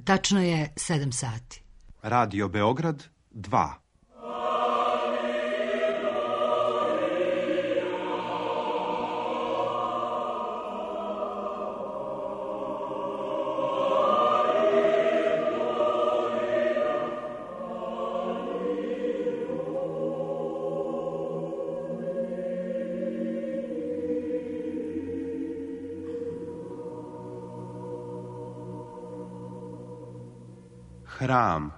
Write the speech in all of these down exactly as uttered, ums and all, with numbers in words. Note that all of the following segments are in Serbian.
Tačno je sedam sati. Radio Beograd dva. Hram.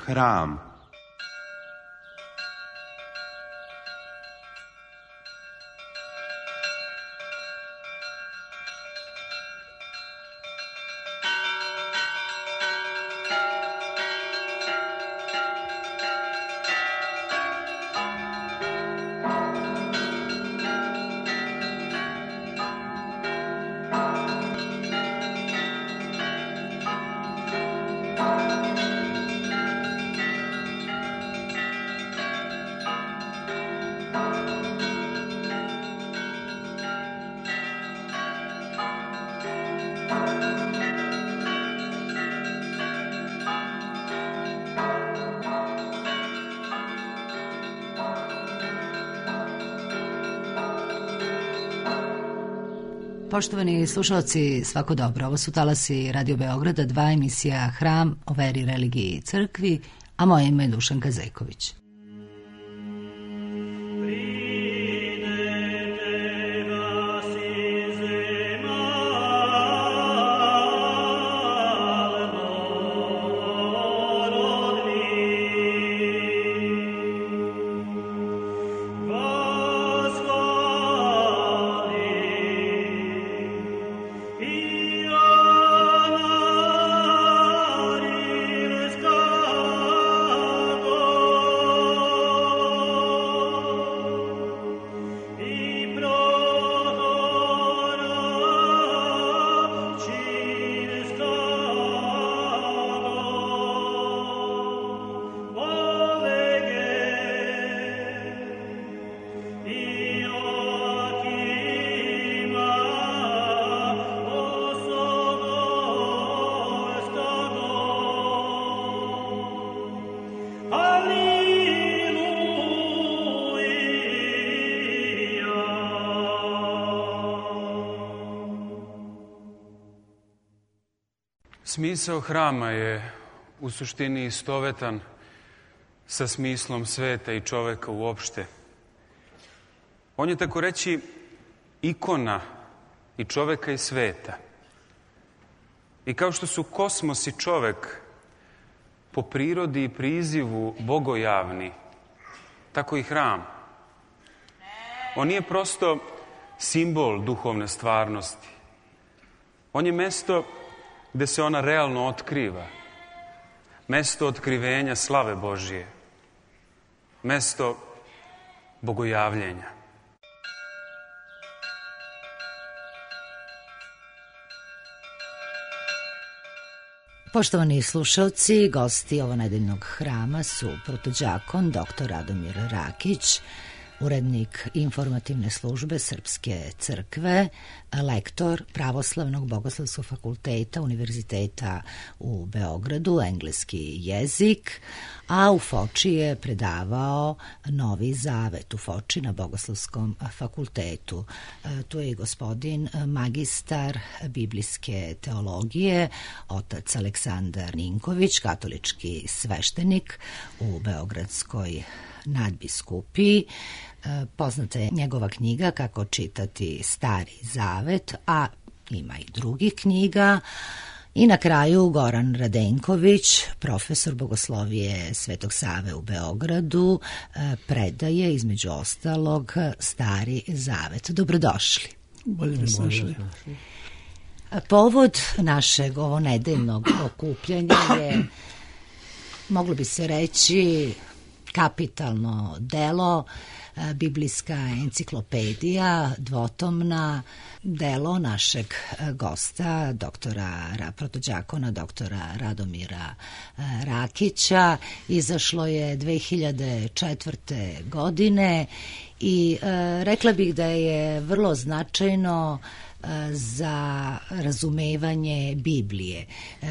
Hram. Poštovani slušalci, svako dobro. Ovo su talasi Radio Beograda, dva, emisija Hram o veri, religiji i crkvi, a moje ime je Dušanka Zejković. Smisao hrama je u suštini istovetan sa smislom sveta i čoveka uopšte. On je, tako reći, ikona i čoveka i sveta. I kao što su kosmos i čovek po prirodi i prizivu bogojavni, tako i hram. On nije prosto simbol duhovne stvarnosti. On je mesto gde se ona realno otkriva. Mesto otkrivenja slave Božije. Mesto bogojavljenja. Poštovani slušalci, gosti ovonedeljnog hrama su protođakon doktor Radomir Rakić, urednik informativne službe Srpske crkve, lektor Pravoslavnog bogoslovskog fakulteta Univerziteta u Beogradu, engleski jezik, a u Foči je predavao Novi Zavet u Foči na Bogoslovskom fakultetu. Tu je i gospodin magistar biblijske teologije, otac Aleksandar Ninković, katolički sveštenik u Beogradskoj nadbiskupiji. Poznata je njegova knjiga Kako čitati Stari Zavet, a ima i drugih knjiga. I na kraju Goran Radenković, profesor bogoslovije Svetog Save u Beogradu, predaje između ostalog Stari Zavet. Dobrodošli. Bolje mi došli. Povod našeg ovonedeljnog okupljanja je, moglo bi se reći, kapitalno delo, biblijska enciklopedija, dvotomna, delo našeg gosta, doktora, protođakona, doktora Radomira Rakića. Izašlo je dve hiljade četvrte. godine i e, rekla bih da je vrlo značajno za razumevanje Biblije.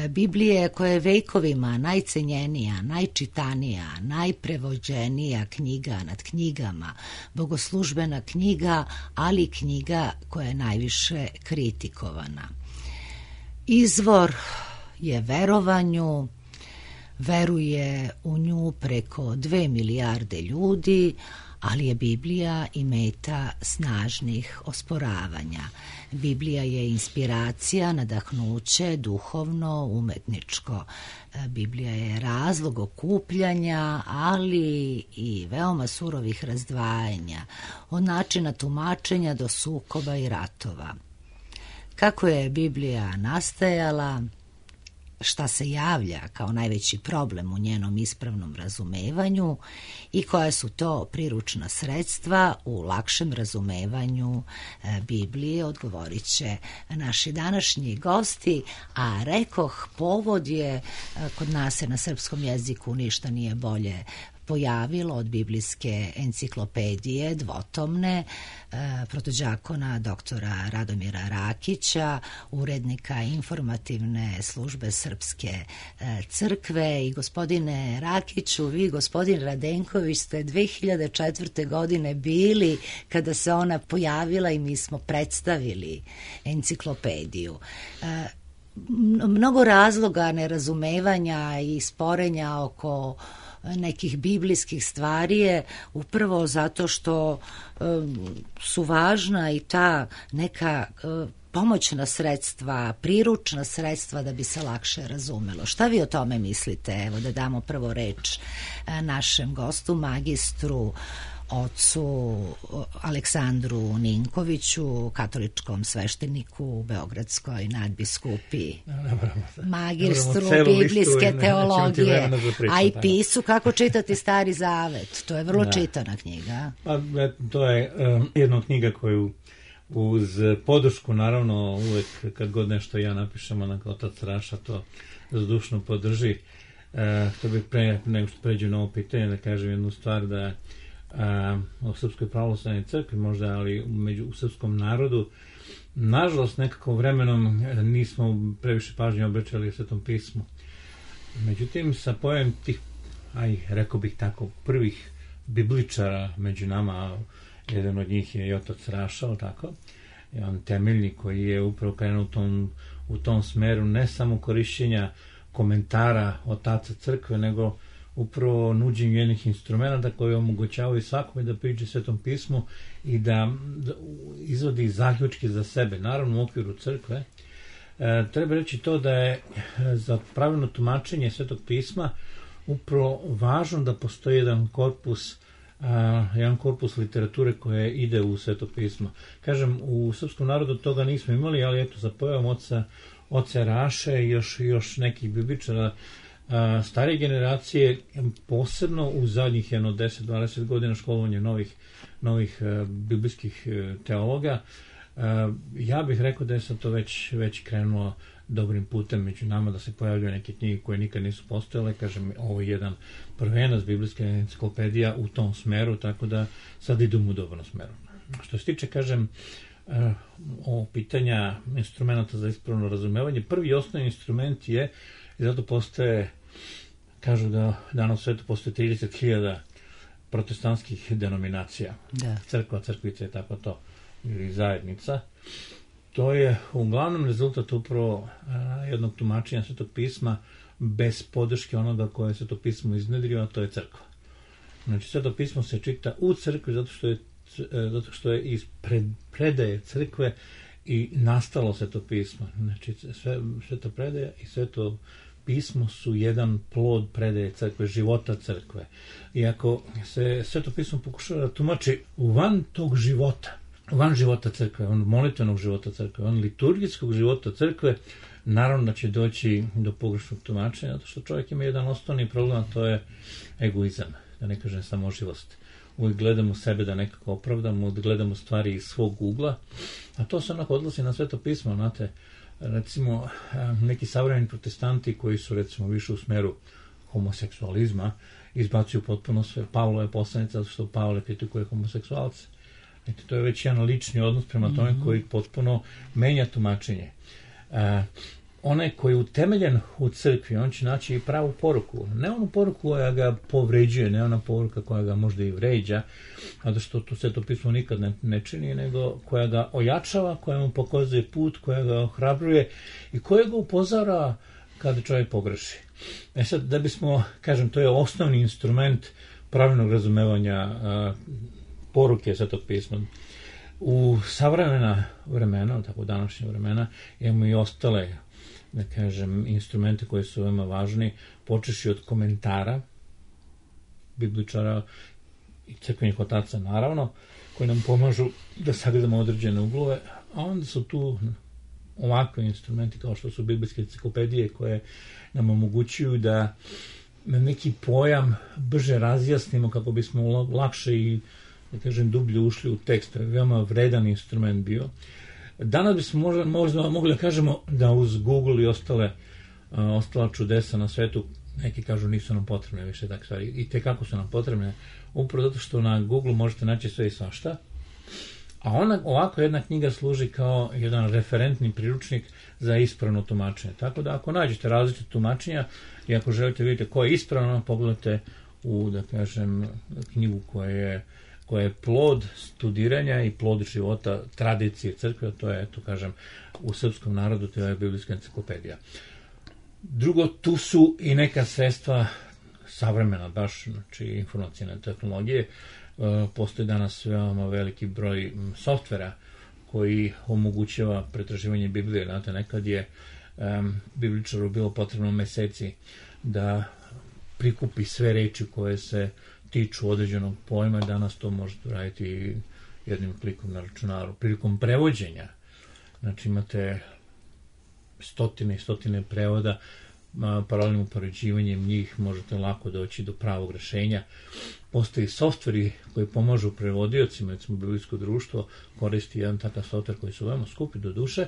Biblije koja je vekovima najcenjenija, najčitanija, najprevođenija knjiga nad knjigama, bogoslužbena knjiga, ali knjiga koja je najviše kritikovana. Izvor je verovanju, veruje u nju preko dve milijarde ljudi, ali je Biblija i meta snažnih osporavanja. Biblija je inspiracija, nadahnuće, duhovno, umetničko. Biblija je razlog okupljanja, ali i veoma surovih razdvajanja, od načina tumačenja do sukoba i ratova. Kako je Biblija nastajala, šta se javlja kao najveći problem u njenom ispravnom razumevanju i koja su to priručna sredstva u lakšem razumevanju Biblije, odgovorit će naši današnji gosti, a rekoh, povod je, kod nas se na srpskom jeziku ništa nije bolje pojavilo od biblijske enciklopedije dvotomne, e, protođakona doktora Radomira Rakića, urednika informativne službe Srpske e, crkve. I gospodine Rakiću, vi, gospodin Radenković, ste dve hiljade četvrte. godine bili kada se ona pojavila i mi smo predstavili enciklopediju. E, mnogo razloga nerazumevanja i sporenja oko nekih biblijskih stvari je upravo zato što um, su važna i ta neka uh, pomoćna sredstva, priručna sredstva da bi se lakše razumelo. Šta vi o tome mislite? Evo da damo prvo reč uh, našem gostu, magistru ocu Aleksandru Ninkoviću, katoličkom svešteniku u Beogradskoj nadbiskupiji, magistru biblijske teologije, a i pisu Kako čitati Stari Zavet. To je vrlo da. čitana knjiga. Pa, to je um, jedna knjiga koju uz podršku, naravno, uvek kad god nešto ja napišem, onak otac Raša to zdušno podrži. Uh, to bih pre nego što pređu na ovo pitanje da kažem jednu stvar, da Uh, u Srpskoj pravoslavnoj crkvi možda, ali među, u srpskom narodu nažalost nekako vremenom nismo previše pažnje obraćali Svetom pismu. Međutim, sa pojavom tih, aj, rekao bih tako, prvih bibličara među nama, jedan od njih je i otac Raša, tako, i on temeljni koji je upravo krenuo u tom, u tom smeru ne samo korišćenja komentara otaca crkve, nego upravo nuđenju jednih instrumenta koji omogućavaju svakome da priđe Svetom pismu i da, da izvodi zaključke za sebe, naravno u okviru crkve. E, treba reći to da je za pravilno tumačenje Svetog pisma upravo važno da postoji jedan korpus, a, jedan korpus literature koje ide u Sveto pismo. Kažem, u srpskom narodu toga nismo imali, ali eto, za pojavom oca, oca Raše i još, još nekih bibličara starije generacije, posebno u zadnjih jedno deset do dvadeset godina školovanja novih, novih uh, biblijskih uh, teologa, uh, ja bih rekao da je sad to već, već krenulo dobrim putem među nama, da se pojavljaju neke knjige koje nikad nisu postojale. Kažem, ovo je jedan prvenac biblijska enciklopedija u tom smeru, tako da sad idemo u dobrom smeru. Što se tiče, kažem, uh, o pitanja instrumenta za ispravno razumevanje, prvi osnovni instrument je, i zato postoje, kažu da danas u svetu postoje trideset hiljada protestantskih denominacija. Da. Crkva, crkvica i tako to, ili zajednica. To je uglavnom rezultat upravo a, jednog tumačenja Svetog pisma bez podrške onoga koje je Sveto pismo iznedrio, a to je crkva. Znači, Sveto pismo se čita u crkvi zato što je, zato što je iz pred, predaje crkve i nastalo Sveto pismo. Znači, sve, Sveto predaja i Sveto pismo su jedan plod predaje crkve, života crkve. I ako se Sveto pismo pokušava da tumači van tog života, van života crkve, on molitvenog života crkve, on liturgijskog života crkve, naravno da će doći do pogrešnog tumačenja, zato što čovjek ima jedan osnovni problem, a to je egoizam. da ne kažem samoživost. Uvijek gledamo sebe da nekako opravdamo, gledamo stvari iz svog ugla, a to se onako odnosi na Sveto pismo, znate, recimo neki savremeni protestanti koji su recimo više u smeru homoseksualizma izbacuju potpuno sve. Pavlo je poslanica zato što Pavle kritikuje homoseksualce. Znači, to je već jedan lični odnos prema tome mm-hmm. koji potpuno menja tumačenje. E, onaj koji je utemeljen u crkvi, on će naći i pravu poruku. Ne onu poruku koja ga povređuje, ne ona poruka koja ga možda i vređa, zato što to Sveto pismo nikad ne, ne čini, nego koja ga ojačava, koja mu pokazuje put, koja ga ohrabruje i koja ga upozara kada čovjek pogreši. E sad, da bismo, kažem, to je osnovni instrument pravilnog razumevanja a, poruke Svetog pisma. U savremena vremena, tako današnje vremena, imamo i ostale, da kažem, instrumente koji su veoma važni, počeši od komentara bibličara i crkvenih otaca, naravno, koji nam pomažu da sagledamo određene uglove, a onda su tu ovakve instrumenti kao što su biblijske enciklopedije koje nam omogućuju da neki pojam brže razjasnimo kako bismo lakše i, da kažem, dublje ušli u tekst. To je veoma vredan instrument bio. Danas bismo možda, možda mogli da kažemo da uz Google i ostale, uh, ostala čudesa na svetu, neki kažu nisu nam potrebne više takve stvari. I te kako su nam potrebne? Upravo zato što na Google možete naći sve i svašta. A ona, ovako jedna knjiga služi kao jedan referentni priručnik za ispravno tumačenje. Tako da ako nađete različite tumačenja i ako želite vidjeti ko je ispravno, pogledajte u, da kažem, knjigu koja je, koja je plod studiranja i plod života tradicije crkve, to je, to kažem, u srpskom narodu, to je biblijska enciklopedija. Drugo, tu su i neka sredstva savremena, baš, znači informacijne tehnologije. Postoji danas veoma veliki broj softvera koji omogućava pretraživanje Biblije. Znate, nekad je um, bibličaru bilo potrebno meseci da prikupi sve reči koje se tiču određenog pojma, danas to možete raditi jednim klikom na računaru. Prilikom prevođenja, znači imate stotine i stotine prevoda, paralelnim upoređivanjem njih možete lako doći do pravog rešenja. Postoji softveri koji pomažu prevodiocima, recimo Biblijsko društvo koristi jedan takav softver koji su veoma skupi do duše,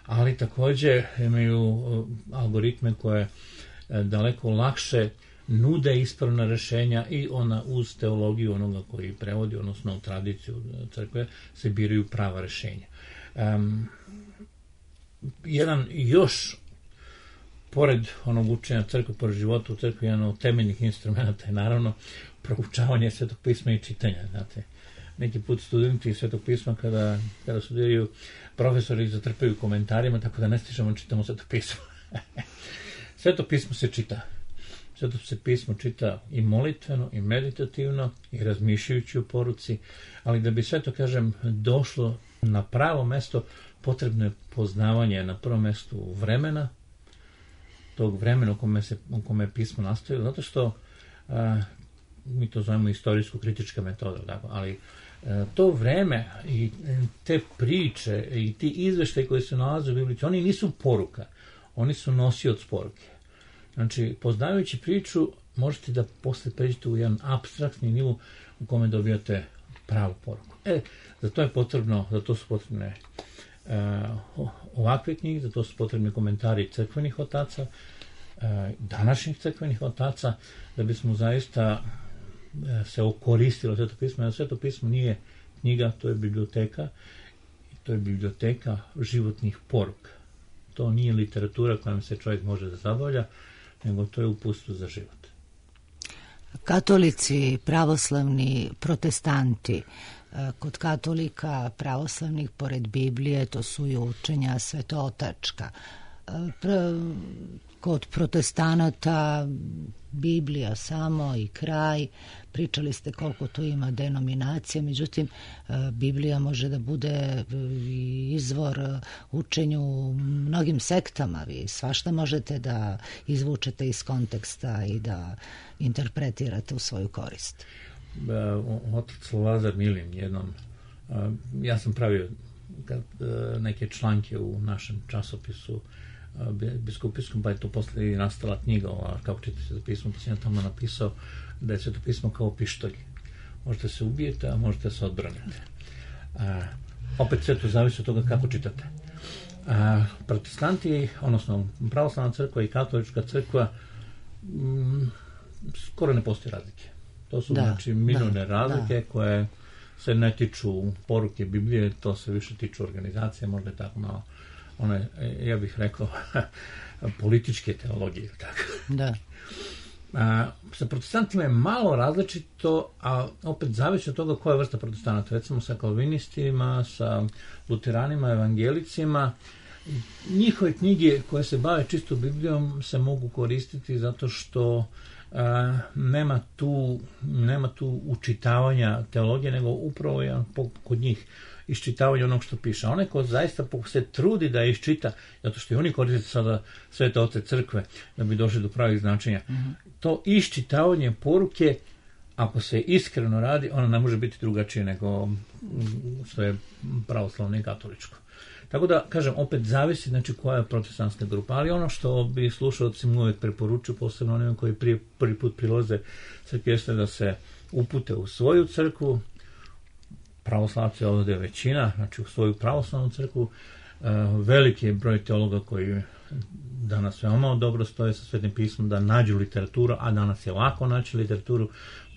ali takođe imaju algoritme koje daleko lakše nude ispravna rešenja i ona uz teologiju onoga koji prevodi, odnosno u tradiciju crkve, se biraju prava rešenja. Um, jedan još pored onog učenja crkve, pored života u crkvi, jedan od temeljnih instrumenta je naravno proučavanje Svetog pisma i čitanja. Znate, neki put studenti Svetog pisma kada, kada studiraju, profesori zatrpaju komentarima, tako da ne stižemo čitamo Sveto pismo. Sveto pismo se čita. Sveto se pismo čita i molitveno, i meditativno, i razmišljajući o poruci, ali da bi sve to, kažem, došlo na pravo mesto, potrebno je poznavanje na prvom mestu vremena, tog vremena u kome, se, u kome je pismo nastavilo, zato što a, mi to zovemo istorijsko-kritička metoda, tako, ali a, to vreme i te priče i ti izveštaji koji se nalaze u Bibliji, oni nisu poruka, oni su nosioc poruke. Znači, poznavajući priču, možete da posle pređete u jedan apstraktni nivo u kome dobijate pravu poruku. E, za to je potrebno, za to su potrebne uh, ovakve knjige, za to su potrebni komentari crkvenih otaca, uh, današnjih crkvenih otaca, da bismo zaista uh, se okoristili Sveto pismo. Jer Sveto pismo nije knjiga, to je biblioteka, to je biblioteka životnih poruka. To nije literatura kojom se čovjek može da zabavlja, nego to je uputstvo za život. Katolici, pravoslavni, protestanti, kod katolika pravoslavnih pored Biblije to su i učenja svetotačka. Kod protestanata Biblija samo i kraj. Pričali ste koliko tu ima denominacija, međutim Biblija može da bude izvor učenju u mnogim sektama. Vi svašta možete da izvučete iz konteksta i da interpretirate u svoju korist. Otac Lazar Milin jednom, ja sam pravio neke članke u našem časopisu biskupijskom, pa je to posle i nastala knjiga, ova, kako čitati Sveto pismo, pa sam ja tamo napisao da je Sveto pismo kao pištolj. Možete se ubijete, a možete se odbraniti. A, opet sve to zavisi od toga kako čitate. A, protestanti, odnosno pravoslavna crkva i katolička crkva, m, skoro ne postoji razlike. To su da, znači minorne da, razlike da. koje se ne tiču poruke Biblije, to se više tiču organizacije, možda je tako malo, one, ja bih rekao, političke teologije. Tako. Da. A, sa protestantima je malo različito, a opet zavisi od toga koja je vrsta protestanata. Recimo sa kalvinistima, sa luteranima, evangelicima, njihove knjige koje se bave čisto Biblijom se mogu koristiti zato što a, nema tu nema tu učitavanja teologije, nego upravo je kod njih iščitavanje onog što piše. Onaj ko zaista se trudi da iščita, zato što i oni koriste sada Svete oce crkve da bi došli do pravih značenja. Mm-hmm. To iščitavanje poruke, ako se iskreno radi, ono ne može biti drugačije nego što je pravoslavno i katoličko. Tako da, kažem, opet zavisi znači koja je protestantska grupa, ali ono što bi slušalci mu uvijek preporučuju, posebno onima koji prije, prvi put prilaze crkvi, jeste da se upute u svoju crkvu. Pravoslavci ovdje je većina, znači u svoju pravoslavnu crkvu. Uh, veliki je broj teologa koji danas veoma dobro stoje sa Svetim pismom da nađu literaturu, a danas je lako naći literaturu,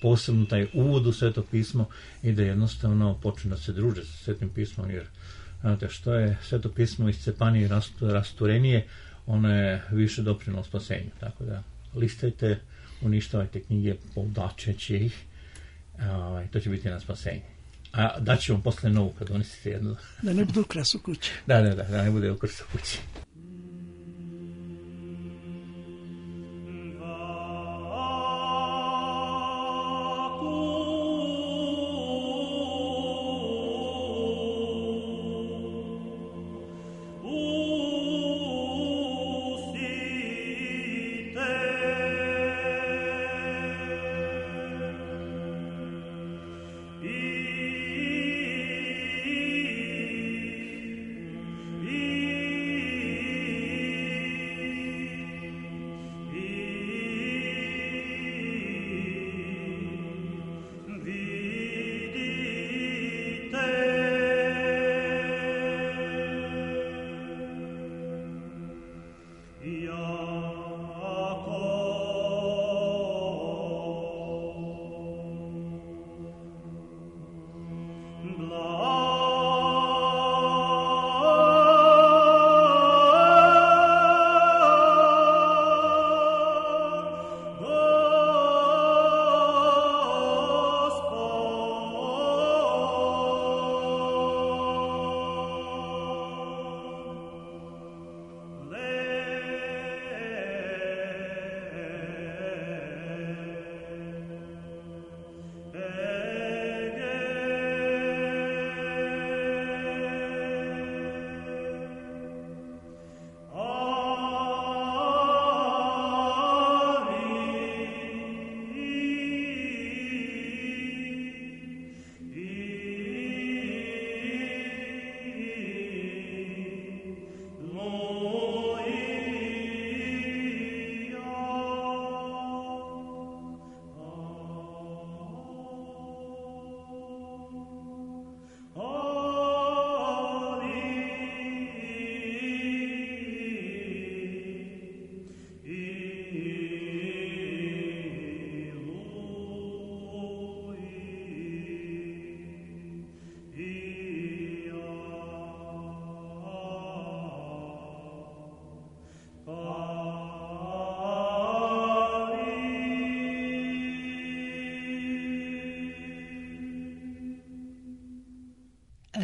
posebno taj uvod u Sveto pismo i da jednostavno počnu da se druže sa Svetim pismom, jer znate što je Sveto pismo iscepanije i rasturenije, ono je više doprinalo spasenju. Tako da listajte, uništavajte knjige, povlačeći ih, uh, to će biti na spasenje. A daći vam posle novu kad donesite jednu. Da ne bude ukras u kući. Da, da, da, da ne bude ukras u kući.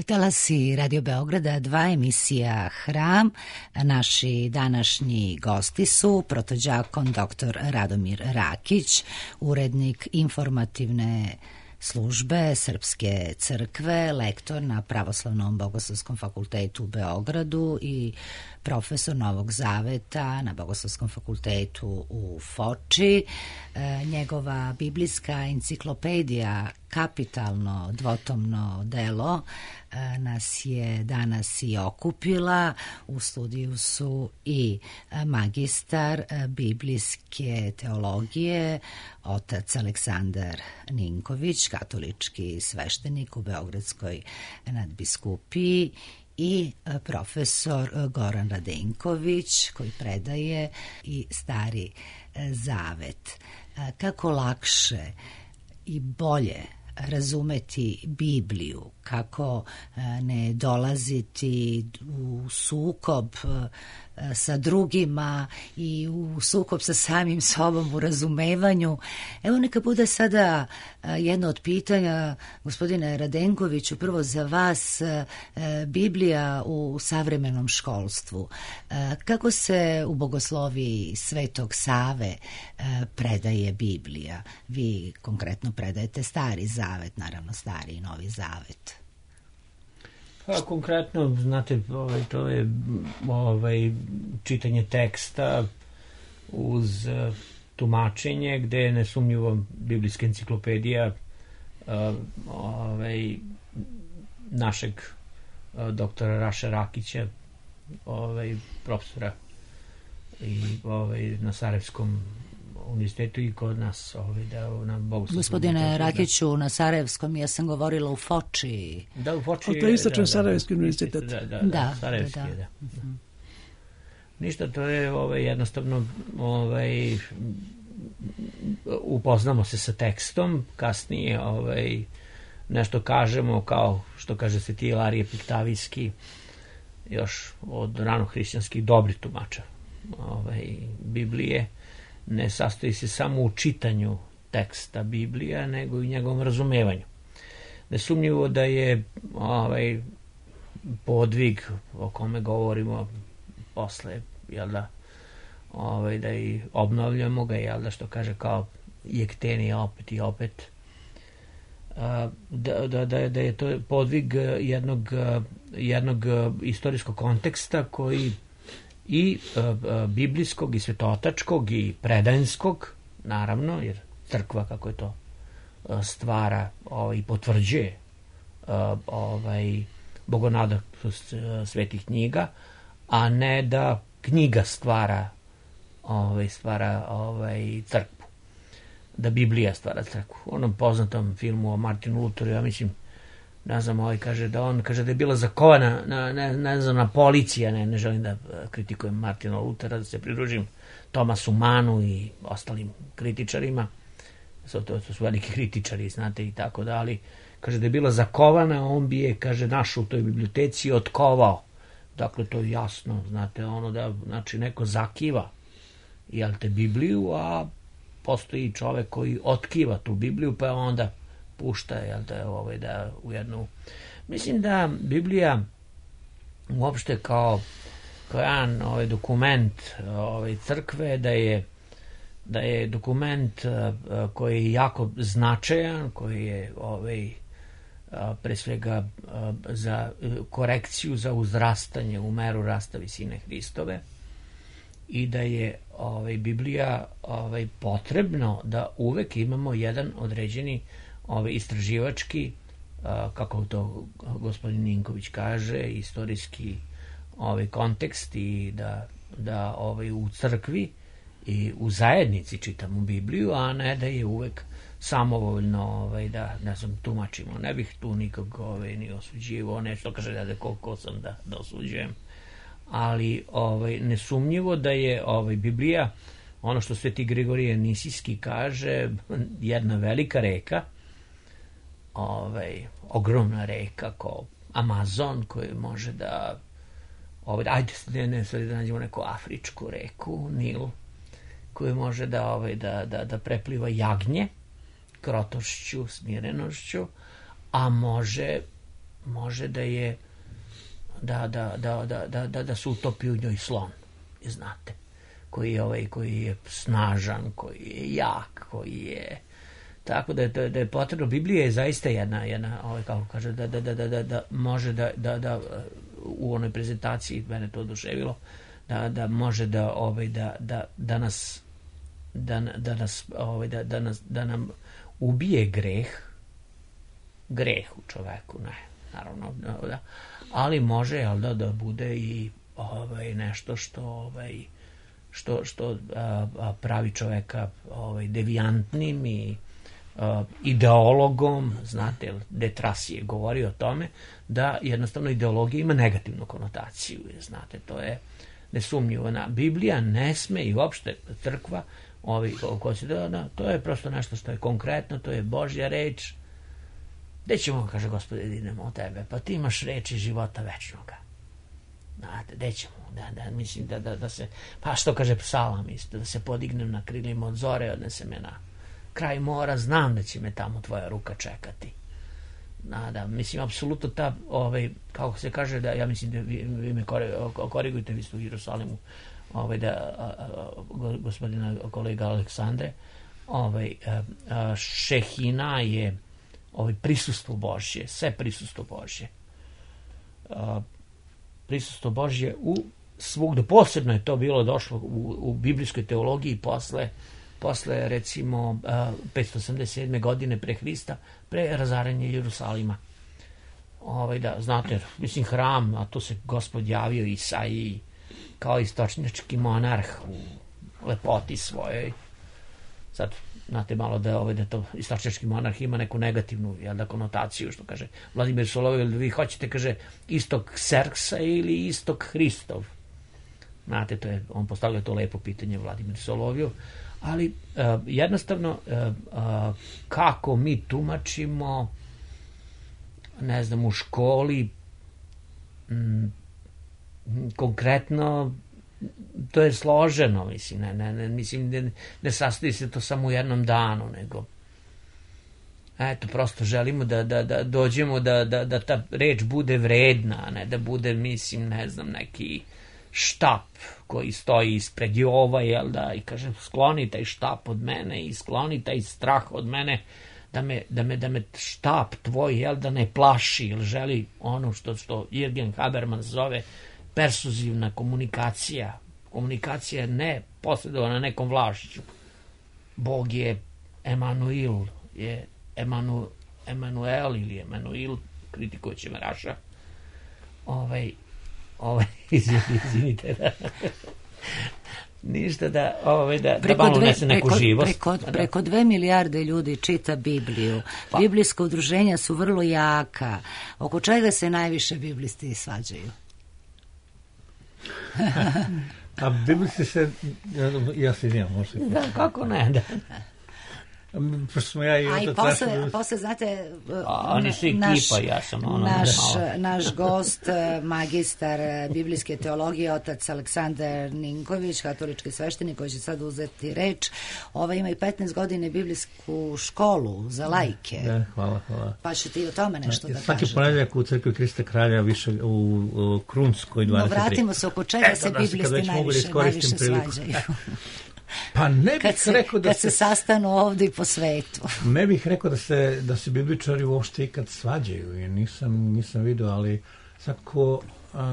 Talasi Radio Beograda, dva emisija Hram. Naši današnji gosti su protođakon doktor Radomir Rakić, urednik informativne službe Srpske crkve, lektor na Pravoslavnom bogoslovskom fakultetu u Beogradu i profesor Novog Zaveta na Bogoslovskom fakultetu u Foči. E, njegova biblijska enciklopedija kapitalno dvotomno delo nas je danas i okupila. U studiju su i magistar biblijske teologije, otac Aleksandar Ninković, katolički sveštenik u Beogradskoj nadbiskupiji, i profesor Goran Radenković, koji predaje i Stari zavet. Kako lakše i bolje razumeti Bibliju, kako ne dolaziti u sukob sa drugima i u sukob sa samim sobom u razumevanju. Evo neka bude sada jedno od pitanja, gospodine Radenkoviću, prvo za vas, Biblija u savremenom školstvu. Kako se u bogosloviji Svetog Save predaje Biblija? Vi konkretno predajete Stari zavet, naravno Stari i Novi zavet. Pa konkretno, znate, ovaj, to je ovaj, čitanje teksta uz uh, tumačenje, gde je nesumnjivo biblijska enciklopedija uh, ovaj, našeg uh, doktora Raša Rakića, ovaj, profesora i ovaj, na Sarajevskom univerzitetu i kod nas ovaj, da na Bogoslovskom. Gospodine Rakiću, na Sarajevskom ja sam govorila u Foči. Da, u Foči. To je istočno Sarajevski univerzitet. Da, da, da, da, Sarajevski da, da. je, da. Uh-huh. Ništa, to je ovaj, jednostavno ovaj, upoznamo se sa tekstom, kasnije ovaj, nešto kažemo, kao što kaže se ti Ilarije Piktavijski, još od ranohrišćanskih dobrih tumača ovaj, Biblije. Ne sastoji se samo u čitanju teksta Biblija, nego i u njegovom razumevanju. Nesumnjivo da je ovaj podvig o kome govorimo posle, jel da, ovaj, da i obnavljamo ga, jel da, što kaže kao jekteni opet i opet, da, da, da, da je to podvig jednog, jednog istorijskog konteksta koji i e, e, biblijskog i svetotačkog i predanskog, naravno, jer crkva, kako je to, e, stvara ovaj, i potvrđuje e, ovaj, bogonadatost e, svetih knjiga, a ne da knjiga stvara ovaj, stvara ovaj, crkvu. Da Biblija stvara crkvu. U onom poznatom filmu o Martinu Lutheru, ja mislim, ne znam, ovaj kaže da on kaže da je bila zakovana na, ne, ne znam, na policija, ne, ne želim da kritikujem Martina Luthera, da se pridružim Tomasu Manu i ostalim kritičarima, to, to su veliki kritičari, znate, i tako da, ali kaže da je bila zakovana, on bi je, kaže, našao u toj biblioteci otkovao. Dakle, to je jasno, znate, ono da, znači, neko zakiva, jel te, Bibliju, a postoji čovek koji otkiva tu Bibliju, pa onda pušta, jel da, ovaj, da u jednu... Mislim da Biblija uopšte kao, kao jedan ovaj, dokument ovaj, crkve, da je, da je dokument uh, koji je jako značajan, koji je ovaj, uh, pre svega uh, za korekciju, za uzrastanje u meru rasta visine Hristove, i da je ovaj, Biblija ovaj, potrebno da uvek imamo jedan određeni ovaj, istraživački, a, kako to gospodin Ninković kaže, istorijski ovaj, kontekst, i da, da ovaj, u crkvi i u zajednici čitamo Bibliju, a ne da je uvek samovoljno ovaj, da, ne znam, tumačimo. Ne bih tu nikog ovaj, ni osuđivo, nešto kaže da, da koliko sam da, da osuđujem, ali ovaj, nesumnjivo da je ovaj, Biblija, ono što Sveti Grigorije Nisijski kaže, jedna velika reka, ovaj, ogromna reka kao Amazon, koji može da ovaj, ajde ne, ne, da nađemo neku afričku reku, Nil, koji može da, ovaj, da, da, da prepliva jagnje krotošću, smirenošću, a može može da je da, da, da, da, da, da, da se utopi u njoj slon, znate, koji je, ovaj, koji je snažan, koji je jak, koji je, tako da je, da je potrebno. Biblija je zaista jedna, jedna ovaj, kako kaže, da, da, da, da, da, da može da, da, da u onoj prezentaciji, mene to oduševilo, da, da može da, ovaj, da, da, da nas da, da nas ovaj, da, da nas da nam ubije greh, greh u čoveku, ne, naravno, da, ali može, jel da, da bude i ovaj, nešto što, ovaj, što, što a, a, pravi čoveka ovaj, devijantnim i a, ideologom, znate, Detras je govorio o tome, da jednostavno ideologija ima negativnu konotaciju, znate, to je nesumnjivo. Biblija ne sme i uopšte crkva, ovi, ko se da, to je prosto nešto što je konkretno, to je Božja reč. Gde ćemo, kaže Gospode, da idemo od tebe? Pa ti imaš reči života večnoga. Znate, gde ćemo? Da, da, mislim da, da, da se, pa što kaže psalam isto, da se podignem na krilima od zore, odnese me na kraj mora, znam da će me tamo tvoja ruka čekati. Da, da, mislim, apsolutno ta, ovaj, kako se kaže, da, ja mislim da vi, vi me korigujte, vi ste u Jerusalimu, ovaj, da, a, a, gospodina kolega Aleksandre, ovaj, a, a, šehina je ovaj, prisustvo Božje, sve prisustvo Božje. A, prisustvo Božje u svugde, posebno je to bilo došlo u, u biblijskoj teologiji posle, posle recimo petsto osamdeset sedme godine pre Hrista, pre razaranja Jerusalima. Ovaj, da, znate, mislim, hram, a tu se Gospod javio Isaiji kao istočnjački monarh u lepoti svojoj. Sad, znate malo da, ovaj, da to istočnjački monarh ima neku negativnu, jel da, konotaciju, što kaže Vladimir Solovjev, vi hoćete, kaže, istok Serksa ili istok Hristov. Znate, to je, on postavlja to lepo pitanje Vladimir Solovjev, ali uh, jednostavno uh, uh, kako mi tumačimo, ne znam, u školi m, konkretno to je složeno, mislim, ne, ne, ne, mislim, ne, ne sastoji se to samo u jednom danu, nego eto, prosto želimo da, da, da dođemo da, da, da ta reč bude vredna, a ne da bude, mislim, ne znam, neki štap koji stoji ispred Jova, jel da, i kaže, skloni taj štap od mene i skloni taj strah od mene, da me, da me, da me štap tvoj, jel da, ne plaši, ili želi ono što, što Jürgen Habermas zove persuzivna komunikacija. Komunikacija je ne posredovana nekom vlašću. Bog je Emanuel, je Emanu, Emanuel ili Emanuel, kritikujući Meraša. Ovaj, ovaj, izvinite, da. Ništa da, ovaj, da, da malo unese neku preko, živost. Preko, preko dve milijarde ljudi čita Bibliju. Pa. Biblijska udruženja su vrlo jaka. Oko čega se najviše biblisti svađaju? A biblisti se, ja se izvijem, možete. Da, kako ne, da. Pošto smo ja i A i posle, trašili... posle, znate, A, oni su ekipa, naš, ja sam ono... Naš, naš gost, magistar biblijske teologije, otac Aleksandar Ninković, katolički sveštenik koji će sad uzeti reč, ovaj ima i petnaest godine biblijsku školu za lajke. Da, hvala, hvala. Pa ćete i o tome nešto da, da kažete. kažete. Svaki ponedjeljak u crkvi Krista Kralja više u, u Krunskoj dvadeset tri. No, vratimo se oko čega se da, biblisti najviše, najviše svađaju. Pa ne bih kad se, rekao da kad se, se sastanu ovdje i po svetu. Ne bih rekao da se, da se bibličari uopšte ikad svađaju, jer nisam, nisam vidio, ali svako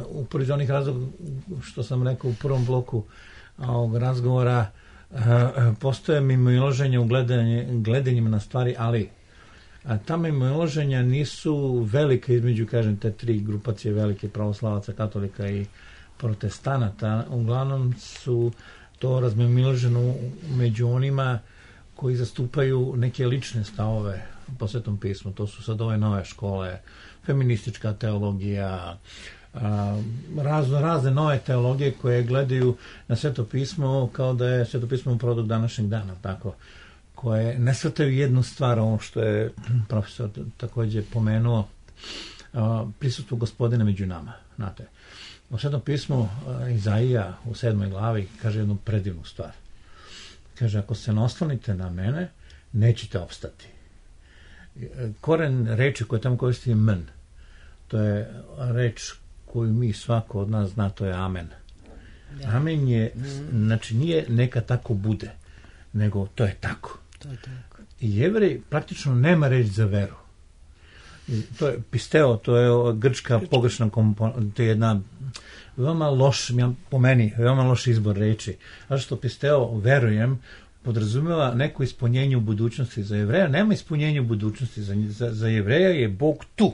upored onih razloga što sam rekao u prvom bloku ovog razgovora, a, postoje mimoilaženja u gledanje, gledanjima na stvari, ali a ta mimoilaženja nisu velike između, kažem, te tri grupacije velike, pravoslavaca, katolika i protestanata. Uglavnom su to razmimoilaženo među onima koji zastupaju neke lične stavove po Svetom pismu. To su sad ove nove škole, feministička teologija, razno razne nove teologije koje gledaju na Sveto pismo kao da je Sveto pismo produkt današnjeg dana, tako, koje ne shvataju jednu stvar, ovo što je profesor također pomenuo, prisustvo Gospodina među nama, znate. U Svetom pismu Izaija u sedmoj glavi kaže jednu predivnu stvar. Kaže, ako se ne oslonite na mene, nećete opstati. Koren reči koje tamo koristi je men. To je reč koju mi svako od nas zna, to je amen. Amen je, znači nije neka tako bude, nego to je tako. To je tako. I Jevrej praktično nema reč za veru. To je pisteo, to je grčka pogrešna komponenta, to je jedna veoma loš, po meni, veoma loš izbor reči. A što pisteo, verujem, podrazumeva neko ispunjenje u budućnosti. Za Jevreja nema ispunjenja u budućnosti, za, za, za Jevreja je Bog tu.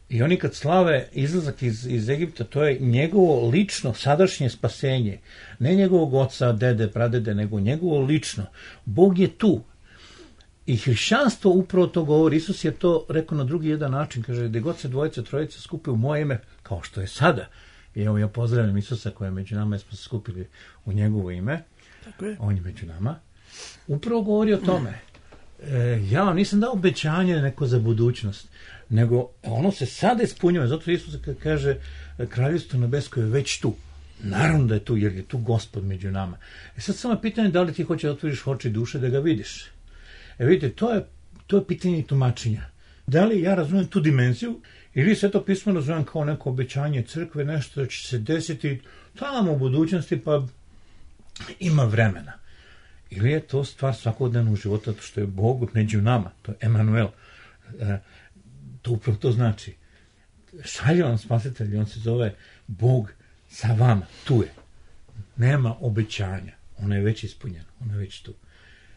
I oni kad slave izlazak iz, iz Egipta, to je njegovo lično sadašnje spasenje. Ne njegovog oca, dede, pradede, nego njegovo lično. Bog je tu. I hrišćanstvo upravo to govori. Isus je to rekao na drugi jedan način. Kaže, gde god se dvojica, trojica skupe u moje ime, kao što je sada. I evo ja pozdravljam Isusa koji je među nama, jer smo se skupili u njegovo ime. Tako je. On je među nama. Upravo govori o tome. E, ja vam nisam dao obećanje neko za budućnost, nego ono se sada ispunjava. Zato Isus kaže, kraljevstvo nebesko je već tu. Naravno da je tu, jer je tu Gospod među nama. E sad samo pitanje da li ti hoće da otvoriš oči duše da ga vidiš. E vidite, to je, to je pitanje tumačenja. Da li ja razumijem tu dimenziju, ili sve to pismo razumijem kao neko obećanje crkve, nešto da će se desiti tamo u budućnosti, pa ima vremena. Ili je to stvar svakodnevnog života, to što je Bog među nama, to je Emanuel. E, to upravo to znači. Šalje vam spasitelj, on se zove Bog sa vama, tu je. Nema obećanja, ono je već ispunjeno, ono je već tu.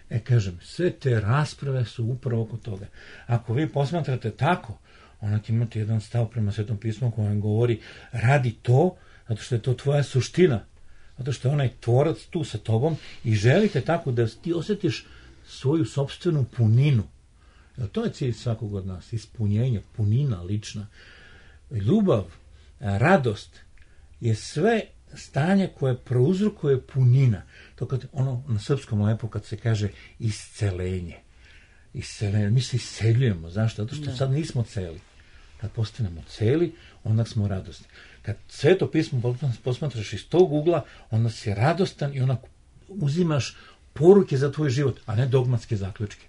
E, kažem, sve te rasprave su upravo oko toga. Ako vi posmatrate tako, onda imate jedan stav prema Svetom pismu koji vam govori, radi to, zato što je to tvoja suština, zato što je onaj tvorac tu sa tobom i želite tako da ti osjetiš svoju sopstvenu puninu. Jer to je cilj svakog od nas, ispunjenje, punina lična. Ljubav, radost je sve stanje koje prouzrokuje punina. To kad ono na srpskom lepo kad se kaže iscelenje. Iscelenje. Mi se isceljujemo. Zašto? Zato što da. Sad nismo celi. Kad postanemo celi, onda smo radosni. Kad Sveto pismo posmatraš iz tog ugla, onda si radostan i onda uzimaš poruke za tvoj život, a ne dogmatske zaključke.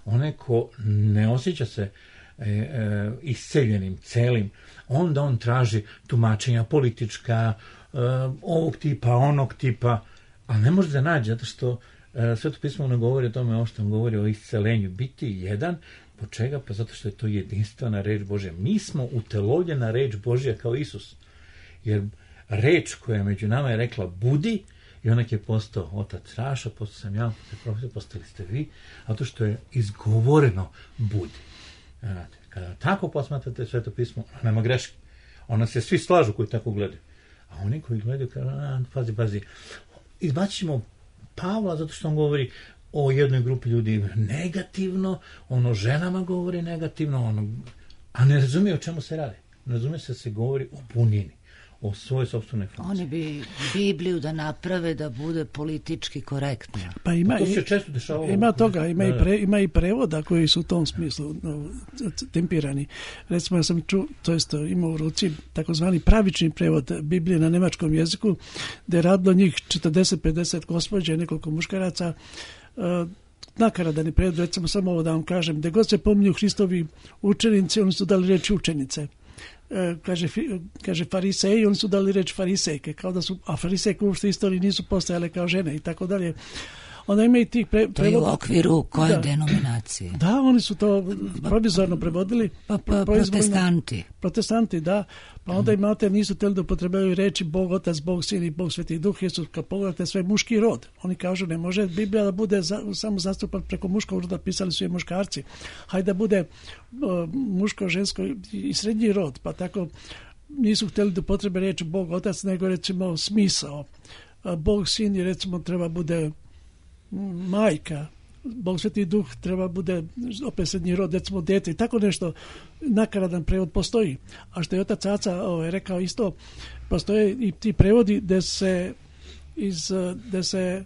Onaj ko ne osjeća se e, e, isceljenim, celim, onda on traži tumačenja politička, e, ovog tipa, onog tipa, a ne može da nađe, zato što e, Sveto pismo ne govori o tome, ovo što govori o iscelenju, biti jedan. Po čega? Pa zato što je to jedinstvena reč Božja. Mi smo utelovljena reč Božja kao Isus. Jer reč koja je među nama je rekla budi, i onak je postao otac Raša, postao sam ja, profesor, postali ste vi, zato što je izgovoreno budi. Znate, kada tako posmatrate Sveto pismo, nema greške. Ona se svi slažu koji tako gledaju. A oni koji gledaju, kažu, pazi, pazi, izbacimo Pavla zato što on govori o jednoj grupi ljudi negativno, ono ženama govori negativno, ono, a ne razumije o čemu se radi. Ne razumije se da se govori o punini, o svojoj sopstvenoj funkciji. Oni bi Bibliju da naprave da bude politički korektna. Pa ima, to se često dešava. Ima toga, ima, i pre, ima i prevoda koji su u tom smislu no, tempirani. Recimo, ja sam čuo, to jest imao u ruci takozvani pravični prevod Biblije na nemačkom jeziku, gde je radilo njih četrdeset pedeset gospođa i nekoliko muškaraca. Uh, nakaradani prevod, recimo samo ovo da vam kažem, gde god se pominju Hristovi učenici, oni su dali reči učenice. Kaže, kaže fariseji, oni su dali reč farisejke, kao da su, a farisejke uopšte istoriji nisu postajale kao žene i tako dalje. Onda ima i tih pre, to je u okviru koje da, denominacije? Da, oni su to provizorno prevodili. Pa, pa protestanti. Protestanti, da. Pa onda imate, nisu teli da upotrebljavaju reči Bog Otac, Bog Sin i Bog Sveti Duh, jer su, kad pogledate, sve muški rod. Oni kažu, ne može Biblija da bude za, samo zastupan preko muškog roda, pisali su je muškarci. Hajde da bude uh, muško, žensko i srednji rod. Pa tako nisu htjeli da upotrebe reči Bog Otac, nego recimo smisao. Uh, Bog Sin je recimo treba bude majka, Bog Sveti Duh treba bude opet srednji rod, recimo dete i tako nešto, nakaradan prevod postoji. A što je otac Aca ovaj, rekao isto, postoje i ti prevodi gde se, iz, gde se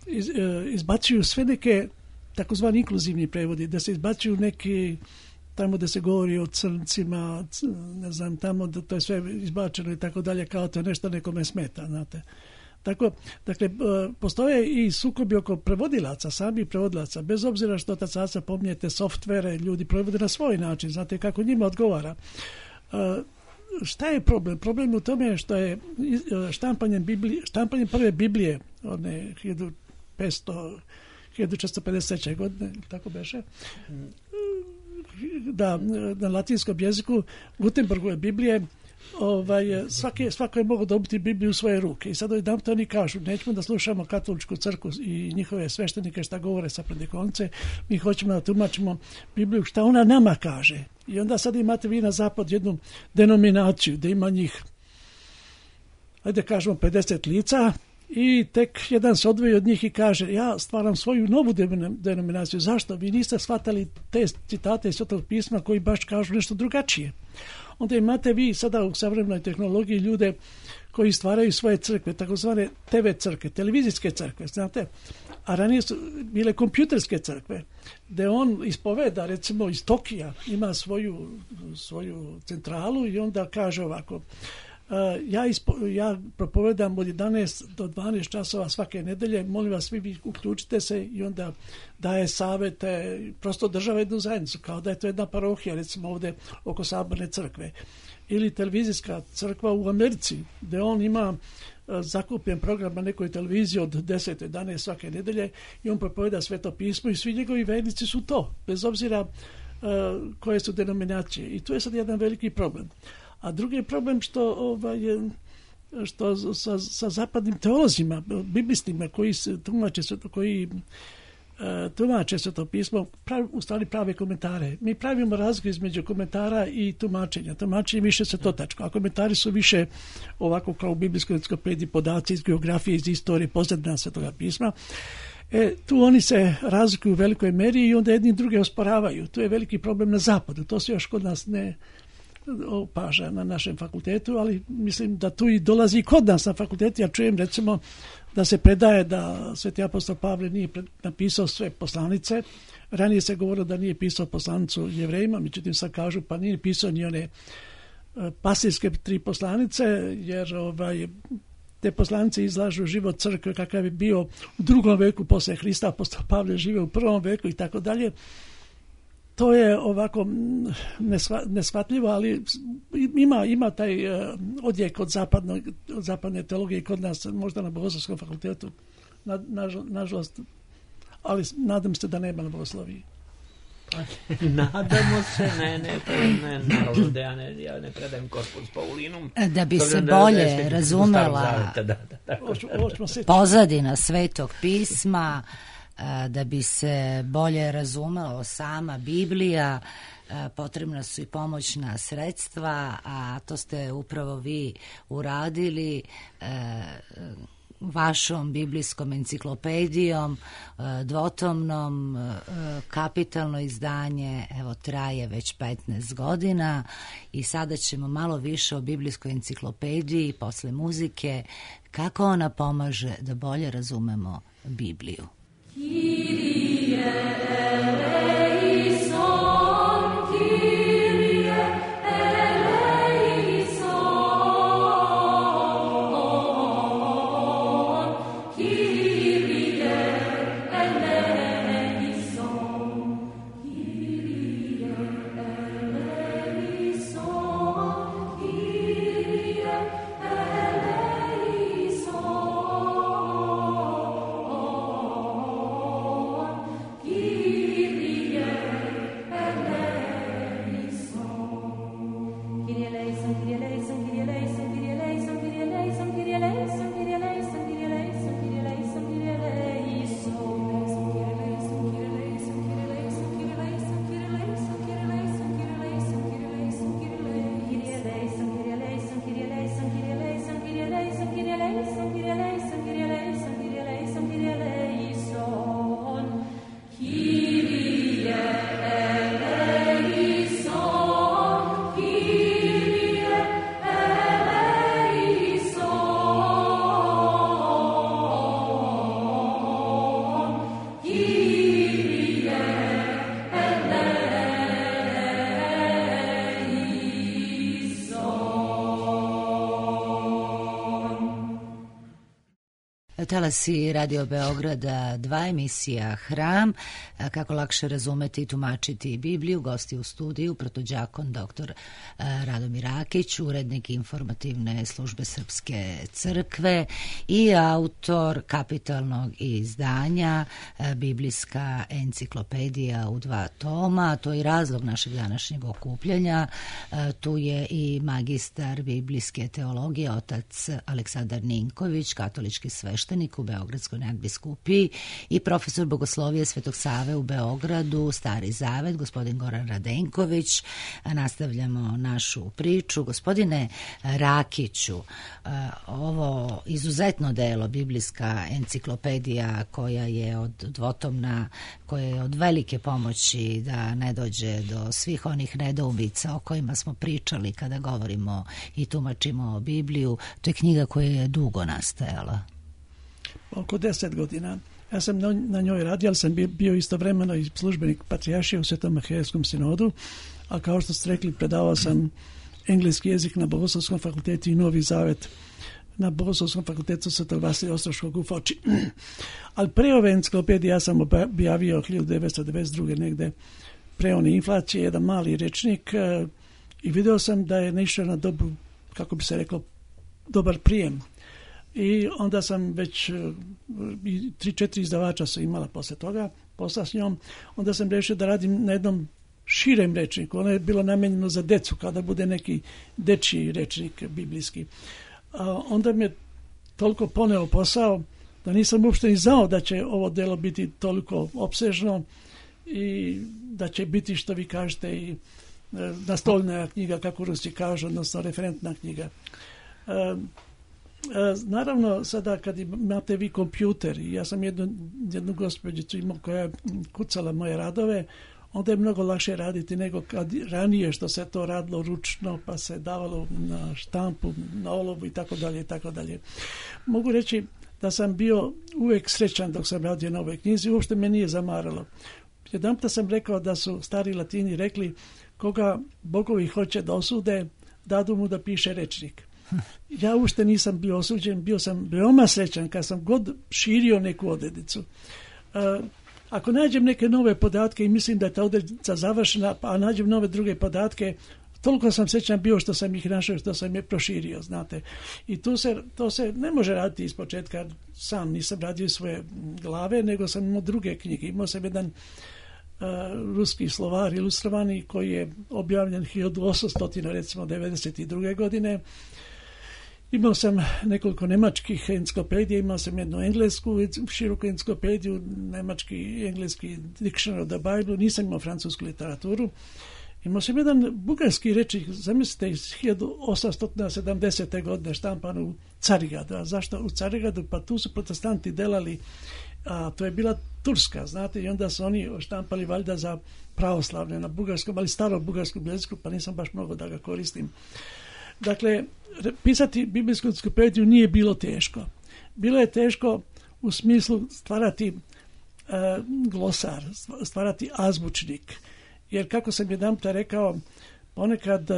iz, izbacuju sve neke takozvani inkluzivni prevodi, da se izbacuju neki tamo da se govori o crncima, ne znam, tamo da to je sve izbačeno i tako dalje, kao to je nešto nekome smeta, znate. Tako, dakle, postoje i sukobi oko prevodilaca, sami prevodilaca, bez obzira što otac Aca pominjete softvere, ljudi prevode na svoj način, znate kako njima odgovara. Šta je problem? Problem je u tome što je štampanjem, Biblije, štampanjem prve Biblije, one hiljadu petsto, hiljadu četiristo pedeset treće godine, tako beše, da, na latinskom jeziku, Gutenbergove Biblije, ovaj, svake, svako je mogao dobiti Bibliju u svoje ruke. I sad jedan to oni kažu, nećemo da slušamo katoličku crkvu i njihove sveštenike šta govore sa predikonce, mi hoćemo da tumačimo Bibliju šta ona nama kaže. I onda sad imate vi na zapad jednu denominaciju da ima njih, ajde kažemo pedeset lica, i tek jedan se odvoji od njih i kaže, ja stvaram svoju novu denominaciju. Zašto? Vi niste shvatali te citate iz Svetog pisma koji baš kažu nešto drugačije. Onda imate vi sada u savremenoj tehnologiji ljude koji stvaraju svoje crkve, takozvane te ve crkve, televizijske crkve, znate, a ranije su bile kompjuterske crkve, gde on ispoveda, recimo iz Tokija, ima svoju, svoju centralu i onda kaže ovako, ja, ispo, ja propovedam od jedanaest do dvanaest časova svake nedelje, molim vas, vi, vi uključite se, i onda daje savete, prosto država jednu zajednicu, kao da je to jedna parohija, recimo ovde oko Saborne crkve. Ili televizijska crkva u Americi, gde on ima zakupljen program na nekoj televiziji od deset do jedanaest svake nedelje i on propoveda Sveto pismo i svi njegovi vernici su to, bez obzira uh, koje su denominacije. I tu je sad jedan veliki problem. A drugi je problem što, ovaj, što sa, sa zapadnim teolozima, biblistima koji se tumače, koji uh, tumače Sveto pismo, pravi, u stvari prave komentare. Mi pravimo razliku između komentara i tumačenja. Tumačenje više svetotačko, a komentari su više ovako kao u biblijskoj enciklopediji, podaci iz geografije, iz istorije, pozadina Svetoga pisma. E, tu oni se razlikuju u velikoj meri i onda jedni druge osporavaju. Tu je veliki problem na zapadu. To se još kod nas ne opaža na našem fakultetu, ali mislim da tu i dolazi i kod nas na fakultetu. Ja čujem recimo da se predaje da Sveti apostol Pavle nije napisao sve poslanice. Ranije se govorilo da nije pisao poslanicu Jevrejima, međutim sad kažu pa nije pisao ni one pastirske tri poslanice, jer ovaj, te poslanice izlažu život crkve kakav je bio u drugom veku posle Hrista, apostol Pavle žive u prvom veku i tako dalje. To je ovako neshvatljivo, ali ima, ima taj odjek od, zapadno, od zapadne teologije kod nas, možda na Bogoslovskom fakultetu, na, na, nažalost, ali nadam se da nema na bogosloviji. Nadamo se, ne, ne, ne, naravno da ja ne, ja ne predajem Corpus Paulinum. Da bi se bolje da razumela da, da, da, pozadina Svetog pisma, da bi se bolje razumelo sama Biblija, potrebna su i pomoćna sredstva, a to ste upravo vi uradili vašom biblijskom enciklopedijom, dvotomnom, kapitalno izdanje, evo traje već petnaest godina i sada ćemo malo više o biblijskoj enciklopediji posle muzike, kako ona pomaže da bolje razumemo Bibliju. Kyrie talasi Radio Beograda dva, emisija Hram, kako lakše razumeti i tumačiti Bibliju. Gosti u studiju protođakon doktor Radomir Rakić, urednik informativne službe Srpske crkve i autor kapitalnog izdanja Biblijska enciklopedija u dva toma. To je i razlog našeg današnjeg okupljanja. Tu je i magistar biblijske teologije, otac Aleksandar Ninković, katolički sveštenik u Beogradskoj nadbiskupiji, i profesor bogoslovije Svetog Save u Beogradu, Stari Zavet, gospodin Goran Radenković. Nastavljamo našu priču. Gospodine Rakiću, ovo izuzetno delo, Biblijska enciklopedija, koja je od dvotomna, koja je od velike pomoći da ne dođe do svih onih nedoumica o kojima smo pričali kada govorimo i tumačimo Bibliju, to je knjiga koja je dugo nastajala. Oko deset godina. Ja sam na, na njoj radio, ali sam bio istovremeno i službenik patrijaršije u Svetom Makedonskom sinodu, a kao što ste rekli, predavao sam engleski jezik na Bogoslovskom fakultetu i Novi Zavet na Bogoslovskom fakultetu Svetog Vasilija Ostroškog u Foči. Ali pre ove enciklopedije ja sam objavio hiljadu devetsto devedeset druge negde pre one inflacije, jedan mali rečnik, i video sam da je naišao na dobu, kako bi se reklo, dobar prijem. I onda sam već, i tri, četiri izdavača su imala posle toga, posla s njom, onda sam rešio da radim na jednom širem rečniku. Ono je bilo namenjeno za decu, kada bude neki dečiji rečnik biblijski. A onda mi je toliko poneo posao da nisam uopšte ni znao da će ovo delo biti toliko opsežno i da će biti, što vi kažete, i nastavna knjiga, kako Rusi kažu, odnosno referentna knjiga. E, e, naravno, sada kad imate vi kompjuter, i ja sam jednu, jednu gospođicu imao koja je kucala moje radove, onda je mnogo lakše raditi nego kad ranije, što se to radilo ručno, pa se davalo na štampu, na olovu i tako dalje i tako dalje. Mogu reći da sam bio uvek srećan dok sam radio na ovoj knjizi, uopšte me nije zamaralo. Jedanputa sam rekao da su stari Latini rekli: koga bogovi hoće da osude, dadu mu da piše rečnik. Ja uopšte nisam bio osuđen, bio sam veoma srećan kad sam god širio neku odrednicu. Uh, ako nađem neke nove podatke i mislim da je ta odrednica završena, a nađem nove druge podatke, toliko sam srećan bio što sam ih našao, što sam je proširio, znate. I tu se, to se ne može raditi iz početka. Sam nisam radio svoje glave, nego sam imao druge knjige. Imao sam jedan Uh, ruski slovar ilustrovani koji je objavljen hiljadu osamsto devedeset druge godine. Imao sam nekoliko nemačkih enciklopedija, imao sam jednu englesku široku enciklopediju, nemački i engleski Dictionary of the Bible, nisam imao francusku literaturu. Imao sam jedan bugarski rečnik, zamislite, iz hiljadu osamsto sedamdesete godine štampan u Carigradu. A zašto u Carigradu? Pa tu su protestanti delali, a to je bila Turska, znate, i onda su oni štampali valjda za pravoslavne na bugarskom, ali staro bugarskom jeziku, pa nisam baš mnogo da ga koristim. Dakle, pisati biblijsku enciklopediju nije bilo teško. Bilo je teško u smislu stvarati e, glosar, stvarati azbučnik. Jer, kako sam jedanputa rekao, ponekad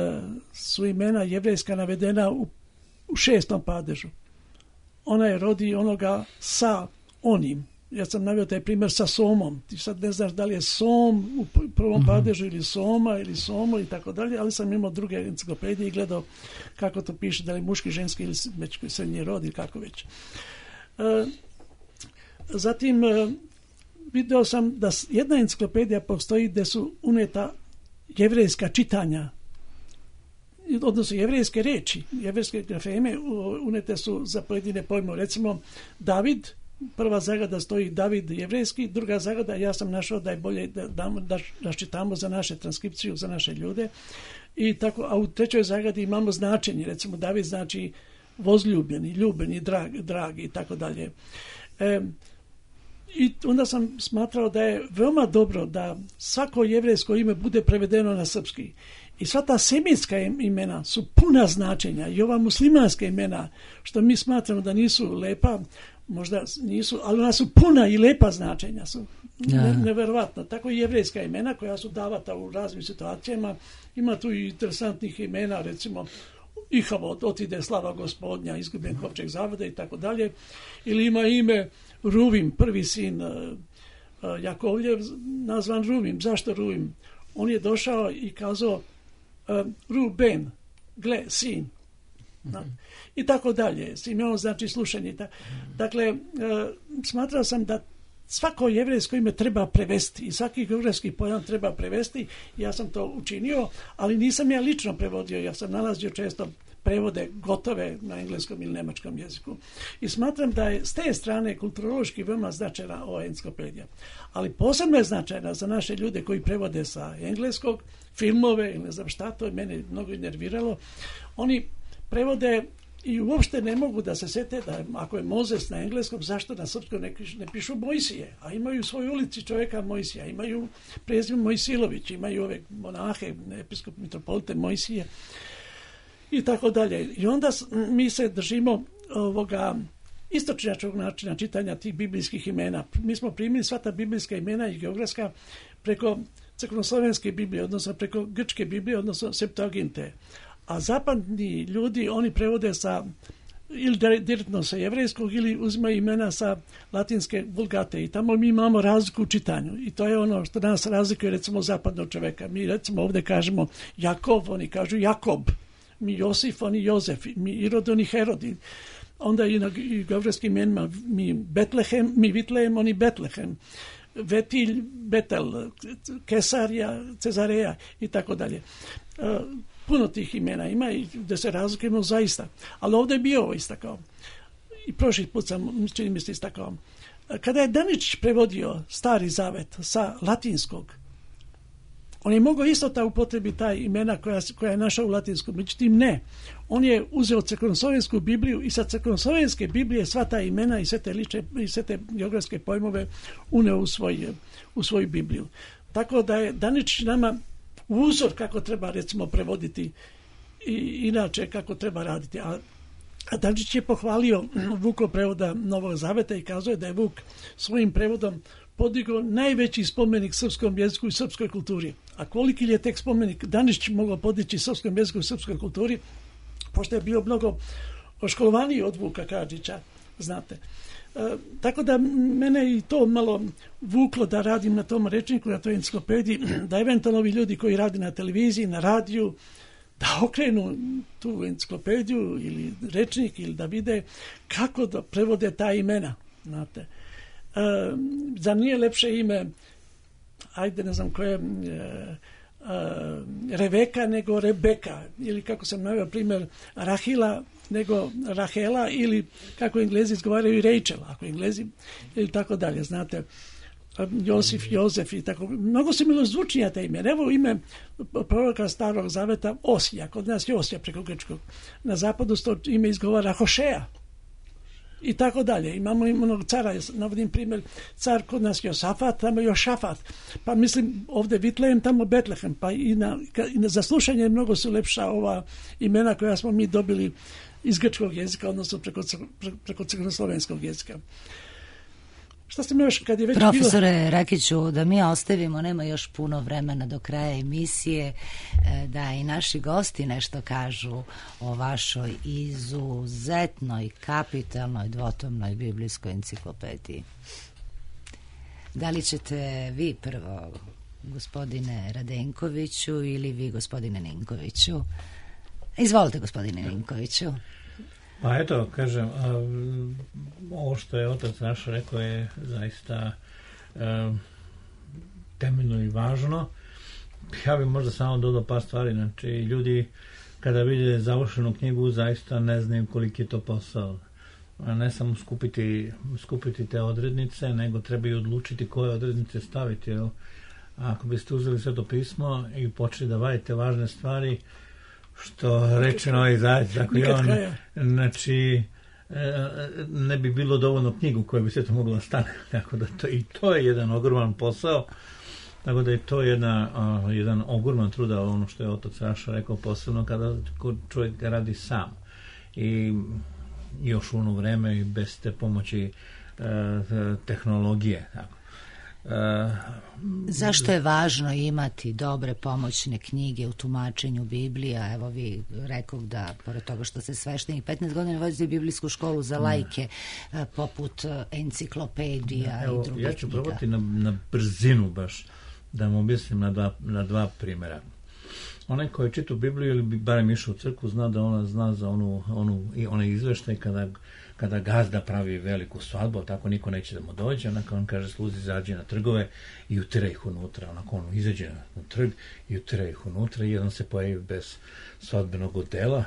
su imena jevrejska navedena u, u šestom padežu. Ona je rodi onoga sa onim. Ja sam naveo taj primjer sa somom. Ti sad ne znaš da li je som u prvom mm-hmm. padežu ili soma ili somo i tako dalje, ali sam imao druge enciklopedije i gledao kako to piše, da li muški, ženski ili već srednji rod ili kako već. E, zatim e, video sam da jedna enciklopedija postoji gde su uneta jevrejska čitanja, odnosno jevrejske reči, jevrejske grafeme unete su za pojedine pojmove. Recimo, David, prva zagrada stoji David jevrejski, druga zagrada, ja sam našao da je bolje da, da, da raščitamo za naše transkripciju, za naše ljude. I tako, a u trećoj zagradi imamo značenje. Recimo, David znači vozljubljeni, ljubeni, drag, dragi i tako dalje. E, I onda sam smatrao da je veoma dobro da svako jevrejsko ime bude prevedeno na srpski. I sva ta semitska imena su puna značenja, i ova muslimanska imena, što mi smatramo da nisu lepa, možda nisu, ali ona su puna i lepa značenja, su ne, neverovatno. Tako i jevrejska imena koja su davata u raznim situacijama. Ima tu i interesantnih imena, recimo Ihavod, otide slava gospodnja, izgubljen kovčeg zavode i tako dalje. Ili ima ime Ruvim, prvi sin Jakovljev, nazvan Ruvim. Zašto Ruvim? On je došao i kazao Ruben, gle, sin. Mm-hmm. I tako dalje. S imenom znači slušanje. Dakle, smatrao sam da svako jevrejsko ime treba prevesti i svaki geografski pojam treba prevesti. Ja sam to učinio, ali nisam ja lično prevodio. Ja sam nalazio često prevode gotove na engleskom ili nemačkom jeziku. I smatram da je s te strane kulturološki veoma značajna ova enciklopedija. Ali posebno je značajna za naše ljude koji prevode sa engleskog, filmove ili ne znam šta, to je mene mnogo nerviralo. Oni prevode i uopšte ne mogu da se sete da ako je Mozes na engleskom, zašto na srpskom ne, ne pišu Mojsije, a imaju u svojoj ulici čovjeka Mojsija, imaju prezime Mojsilović, imaju ove monahe, episkop mitropolite Mojsije i tako dalje. I onda mi se držimo ovoga istočnjačkog načina čitanja tih biblijskih imena. Mi smo primili sva ta biblijska imena i geografska preko crkveno-slovenske Biblije, odnosno preko grčke Biblije, odnosno Septuaginte. A zapadni ljudi, oni prevode sa ili direktno sa jevrejskog ili uzimaju imena sa latinske vulgate i tamo mi imamo razliku u čitanju i to je ono što nas razlikuje recimo zapadnog čoveka. Mi recimo ovdje kažemo Jakov, oni kažu Jakob, mi Josif, oni Jozef, mi Irod, oni Herod. Onda i na geografskim imenima mi Betlehem, mi Vitlejem, oni Betlehem, Vetilj, Betel, Kesarija, Cezareja i tako dalje. Puno tih imena ima i da se razlikujemo zaista. Ali ovdje je bio ovo istakao. I prošli put sam, čini mi se, istakao. Kada je Daničić prevodio Stari Zavet sa latinskog, on je mogao isto ta upotrebi taj imena koja, koja je našao u latinskom. Međutim, ne. On je uzeo crkveno-slovensku Bibliju i sa crkveno-slovenske Biblije sva ta imena i sve te, liče, i sve te geografske pojmove uneo u, svoj, u svoju Bibliju. Tako da je Daničić nama uzor kako treba recimo prevoditi i inače kako treba raditi. A Daničić je pohvalio Vukov prevoda Novog Zaveta i kazao da je Vuk svojim prevodom podigao najveći spomenik srpskom jeziku i srpskoj kulturi. A koliki je tek spomenik Daničić mogao podići srpskom jeziku i srpskoj kulturi, pošto je bio mnogo školovaniji od Vuka Karadžića, znate. E, tako da mene i to malo vuklo da radim na tom rečniku, na toj enciklopediji, da eventualno ovi ljudi koji radi na televiziji, na radiju, da okrenu tu enciklopediju ili rečnik ili da vide kako da prevode ta imena, znate. E, za nije lepše ime, ajde ne znam koje, e, Uh, Reveka nego Rebeka ili kako sam naveo primjer Rahila nego Rahela ili kako Englezi izgovaraju Rachel, ako Englezi ili tako dalje, znate, Josif, Jozef i tako. Mnogo se milozvučnija te ime. Evo ime proroka Starog Zaveta Osija, kod nas je Osija preko grčkog. Na zapadu to ime izgovara Hošeja. I tako dalje. Imamo onog cara, navodim primjer, car kod nas Josafat, tamo Jošafat. Pa mislim ovdje Vitlejem, tamo Betlehem. Pa i na, i na zaslušanje mnogo su lepša ova imena koja smo mi dobili iz grčkog jezika, odnosno preko, preko crkveno-slovenskog jezika. Šta ste mi još kad je već Profesore bilo... Rakiću, da mi ostavimo, nema još puno vremena do kraja emisije, da i naši gosti nešto kažu o vašoj izuzetnoj, kapitalnoj, dvotomnoj biblijskoj enciklopediji. Da li ćete vi prvo, gospodine Radenkoviću, ili vi, gospodine Ninkoviću? Izvolite, gospodine Ninkoviću. Pa eto, kažem, ovo što je otac naš rekao je zaista um, temeljno i važno. Ja bih možda samo dodao par stvari. Znači, ljudi kada vide završenu knjigu zaista ne znaju koliki je to posao. A ne samo skupiti, skupiti te odrednice, nego treba i odlučiti koje odrednice staviti. Jel? A ako biste uzeli Sveto pismo i počeli da vadite važne stvari, što rečeno i zajedno, tako i on, znači, ne bi bilo dovoljno knjigu koja bi se to mogla stane, tako da to, i to je jedan ogroman posao, tako da je to jedna, uh, jedan ogroman truda, ono što je otac Raša rekao, posebno kada čovjek radi sam i još u ono vreme i bez te pomoći uh, tehnologije, tako. Zašto je važno imati dobre pomoćne knjige u tumačenju Biblija? Evo vi rekao da, pored toga što se sveštenik petnaest godina vodite biblijsku školu za lajke, ne. poput enciklopedija ne, evo, i drugih ja ću knjiga. probati na, na brzinu baš da vam objasnim na dva, na dva primjera. Onaj koji je čitao Bibliju ili bi barem išao u crkvu zna da ona zna za onu, onu, onaj izveštaj kada, kada gazda pravi veliku svadbu, tako niko neće da mu dođe, onako on kaže sluzi izađe na trgove i utira ih unutra, onako on izađe na trg i utira ih unutra i jedan se pojavi bez svadbenog odela,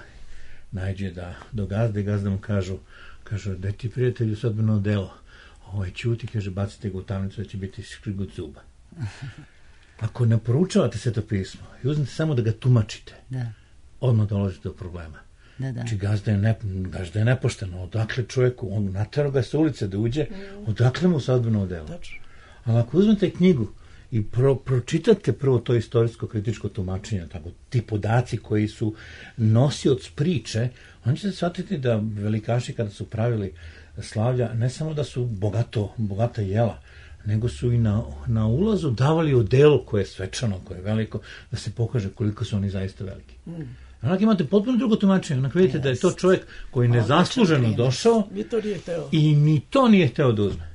najđe da, do gazde i gazda mu kažu, kažu, da ti prijatelju svadbeno odelo, ovaj ćuti, kaže, bacite ga u tamnicu da će biti škrigut zuba. Ako ne poručavate Sveto pismo i uzmete samo da ga tumačite, da. Odmah dolazite do problema. Da, da. Znači, gazda je, ne, gazda je nepošteno. Odakle čovjeku, on naterao ga sa ulice da uđe, odakle mu svadbeno odelo. Ali ako uzmete knjigu i pro, pročitate prvo to istorijsko kritičko tumačenje, tako, ti podaci koji su nosioc priče, oni ćete shvatiti da velikaši kada su pravili slavlja, ne samo da su bogato, bogata jela, nego su i na, na ulazu davali odelo koje je svečano, koje je veliko, da se pokaže koliko su oni zaista veliki. Mm. Onak imate potpuno drugo tumačenje. Onak vidite yes. da je to čovjek koji nezasluženo došao i ni to nije hteo da uzme.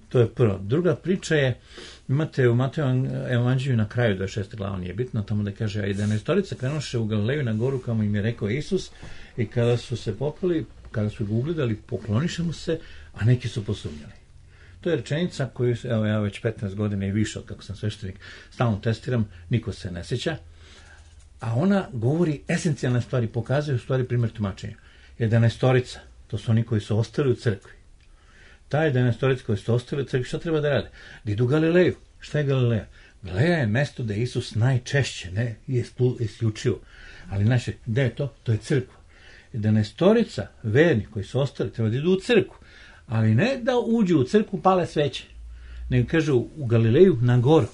To je prvo. Druga priča je, imate u Matejovom evanđelju na kraju, dvadeset šesta glava, nije bitno, tamo da kaže, a jedanaestorica krenuše u Galileju na goru, kamo im je rekao Isus, i kada su se popali, kada su ga ugledali, pokloniše mu se, a neki su posumnjali. To je rečenica koju, evo ja već petnaest godina i više od kako sam sveštenik, stalno testiram, niko se ne sjeća, a ona govori esencijalne stvari, pokazuje u stvari primjer tumačenja. Jedanaestorica, to su oni koji su ostali u crkvi. Ta jedanaestorica koji su ostali u crkvi, šta treba da rade? Da idu u Galileju. Šta je Galileja? Galileja je mesto da je Isus najčešće, ne isključivo. Ali naše, gde je to? To je crkva. Jedanaestorica, verni koji su ostali, treba da idu u crkvu. Ali ne da uđu u crkvu, pale sveće. Nego kažu u Galileju na goru.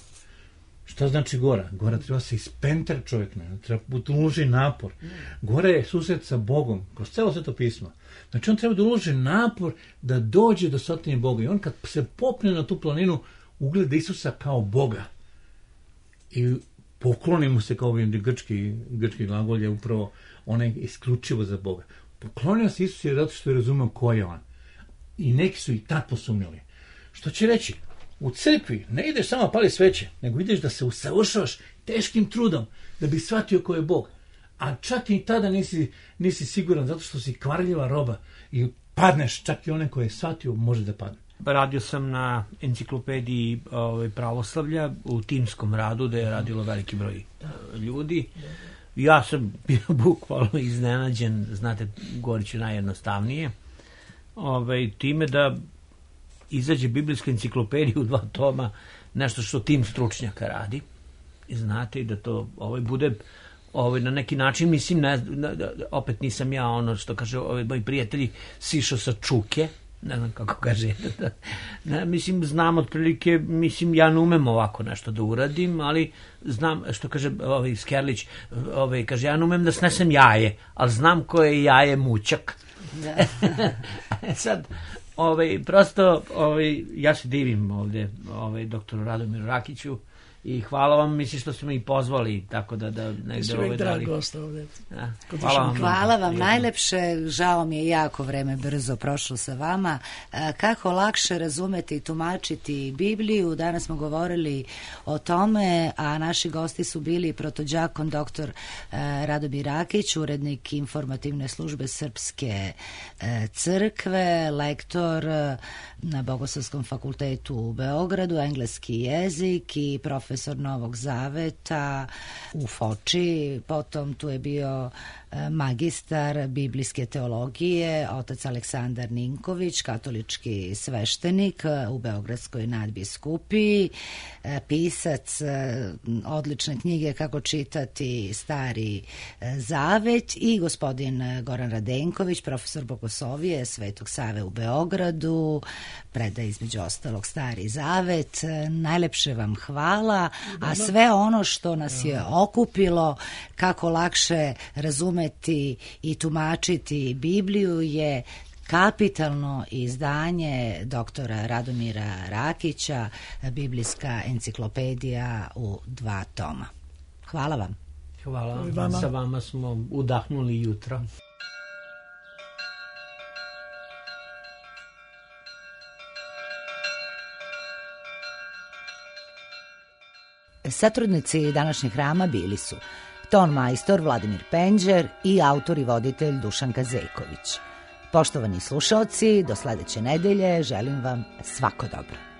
Šta znači gora? Gora treba se ispentra čovjek, ne? Treba uloži napor. Gora je susret sa Bogom, kroz celo Sveto pismo. Znači on treba da uloži napor da dođe do sotine Boga. I on kad se popne na tu planinu, ugleda Isusa kao Boga. I pokloni mu se, kao ovim grčki, grčki glagol je upravo onaj isključivo za Boga. Poklonio se Isus je zato što je razumeo ko je on. I neki su i tad posumnjali. Što će reći? U crkvi ne ideš samo pali sveće, nego ideš da se usavršavaš teškim trudom da bi shvatio ko je Bog. A čak i tada nisi, nisi siguran zato što si kvarljiva roba i padneš, čak i one koje je shvatio može da padne. Radio sam na enciklopediji ovaj, pravoslavlja u timskom radu gde je radilo veliki broj ljudi. Ja sam bio bukvalno iznenađen, znate, govorit ću najjednostavnije, ovaj, time da izađe biblijska enciklopedija u dva toma, nešto što tim stručnjaka radi. I znate, i da to ovaj, bude ovaj, na neki način, mislim, ne, opet nisam ja ono što kaže, ovaj, moji prijatelji, sišao sa čuke, ne znam kako kaže, ne, mislim, znam otprilike, mislim, ja ne umem ovako nešto da uradim, ali znam, što kaže ovaj, Skerlić, ovaj, kaže, ja ne umem da snesem jaje, ali znam ko je jaje mućak. Da. Sad, ovaj, prosto, ovaj, ja se divim ovdje ovaj, doktoru Radomiru Rakiću i hvala vam, mislim što ste me i pozvali, tako da, da negde ovaj dali. Ovdje. Ja, hvala vam. Hvala vam najlepše, žao mi je jako vreme brzo prošlo sa vama. Kako lakše razumeti i tumačiti Bibliju, danas smo govorili o tome, a naši gosti su bili protođakon doktor Radomir Rakić, urednik informativne službe Srpske crkve, lektor na Bogoslovskom fakultetu u Beogradu, engleski jezik i profesor Novog Zaveta u Foči. Potom tu je bio magistar biblijske teologije, otac Aleksandar Ninković, katolički sveštenik u Beogradskoj nadbiskupiji, pisac odlične knjige Kako čitati Stari Zavet, i gospodin Goran Radenković, profesor Bogoslovije Svetog Save u Beogradu, predaje između ostalog Stari Zavet. Najlepše vam hvala, a sve ono što nas je okupilo, kako lakše razumeti i tumačiti Bibliju, je kapitalno izdanje doktora Radomira Rakića, Biblijska enciklopedija u dva toma. Hvala vam. Hvala I vam. vama. Sa vama smo udahnuli jutro. Satrudnici današnjeg hrama bili su ton majstor Vladimir Penđer i autor i voditelj Dušanka Zejković. Poštovani slušaoci, do sledeće nedelje želim vam svako dobro.